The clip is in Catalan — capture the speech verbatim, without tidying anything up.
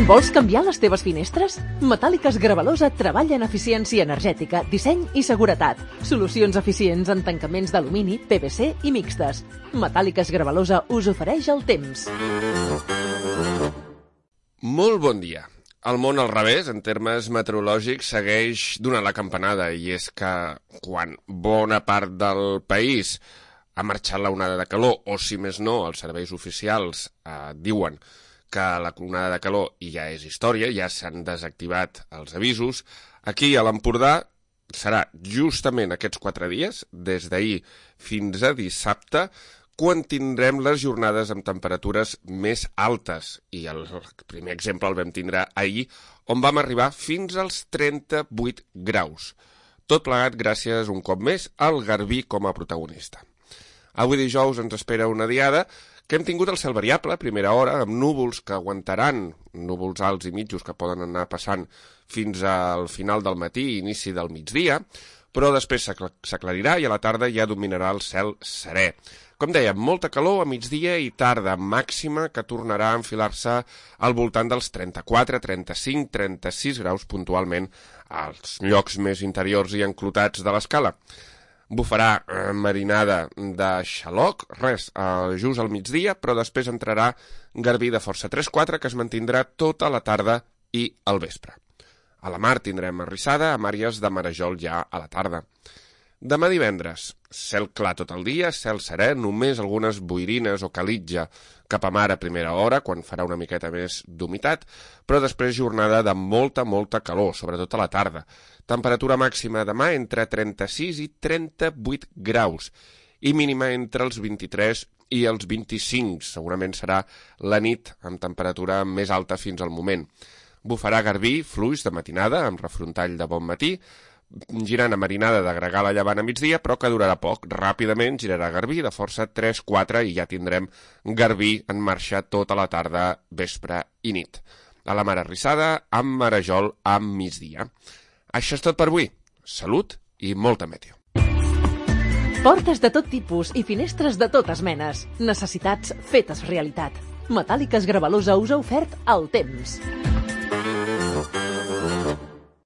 Vols canviar les teves finestres? Metàl·liques Gravalosa treballa en eficiència energètica, disseny i seguretat. Solucions eficients en tancaments d'alumini, P V C i mixtes. Metàl·liques Gravalosa us ofereix el temps. Molt bon dia. El món al revés, en termes meteorològics, segueix donant la campanada, i és que quan bona part del país ha marxat la onada de calor, o si més no, els serveis oficials eh, diuen que la onada de calor ja és història, ja s'han desactivat els avisos, aquí a l'Empordà serà justament aquests quatre dies, des d'ahir fins a dissabte, quan tindrem les jornades amb temperatures més altes. I el primer exemple el vam tindre ahir, on vam arribar fins als trenta-vuit graus. Tot plegat gràcies un cop més al Garbí com a protagonista. Avui dijous ens espera una diada que hem tingut el cel variable a primera hora, amb núvols que aguantaran, núvols alts i mitjos que poden anar passant fins al final del matí i inici del migdia, però després s'aclarirà i a la tarda ja dominarà el cel serè. Com dèiem, molta calor a migdia i tarda, màxima que tornarà a enfilar-se al voltant dels trenta-quatre, trenta-cinc, trenta-sis graus puntualment als llocs més interiors i enclotats de l'escala. Bufarà eh, marinada de xaloc, res, eh, just al migdia, però després entrarà garbí de força tres quatre que es mantindrà tota la tarda i al vespre. A la mar tindrem arrissada, amb àrees de marejol ja a la tarda. Demà divendres, cel clar tot el dia, cel serè, només algunes boirines o calitja cap a mar a primera hora, quan farà una miqueta més d'humitat, però després jornada de molta, molta calor, sobretot a la tarda. Temperatura màxima demà entre trenta-sis i trenta-vuit graus i mínima entre els vint-i-tres i els vint-i-cinc. Segurament serà la nit amb temperatura més alta fins al moment. Bufarà garbí, fluix de matinada, amb refrontall de bon matí, girant a marinada de gregal a llevant a migdia, però que durarà poc. Ràpidament girarà garbí de força tres quatre i ja tindrem garbí en marxa tota la tarda, vespre i nit. A la mar arrissada, amb marejol a migdia. Això és tot per avui. Salut i molta meteo. Portes de tot tipus i finestres de totes menes. Necessitats fetes realitat. Metàl·liques Gravalosa us ha ofert el temps.